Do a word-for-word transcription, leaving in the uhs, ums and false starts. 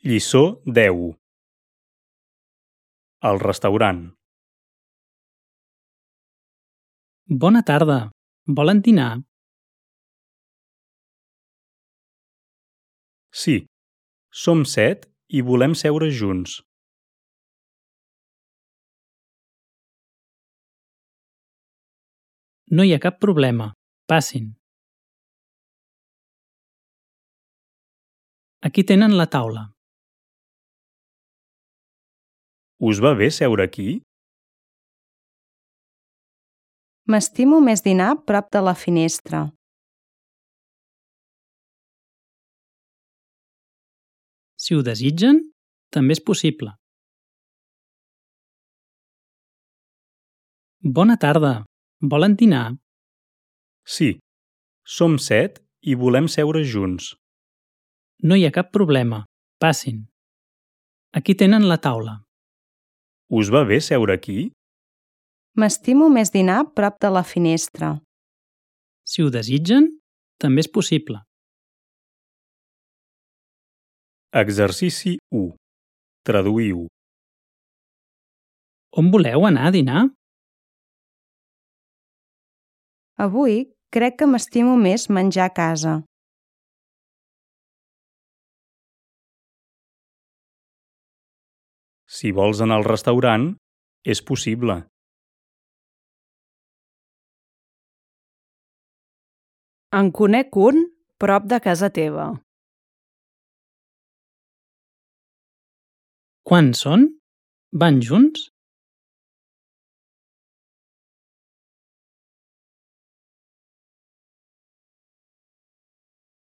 Lliçó deu. El restaurant. Bona tarda. Volen dinar? Sí, som set i volem seure junts. No hi ha cap problema. Passin. Aquí tenen la taula. Us va bé seure aquí? M'estimo més dinar prop de la finestra. Si ho desitgen, també és possible. Bona tarda. Volen dinar? Sí, som set i volem seure junts. No hi ha cap problema. Passin. Aquí tenen la taula. Us va bé seure aquí? M'estimo més dinar prop de la finestra. Si ho desitgen, també és possible. Exercici u. Traduïu. On voleu anar a dinar? Avui crec que m'estimo més menjar a casa. Si vols anar al restaurant, és possible. En conec un prop de casa teva. Quan són? Van junts?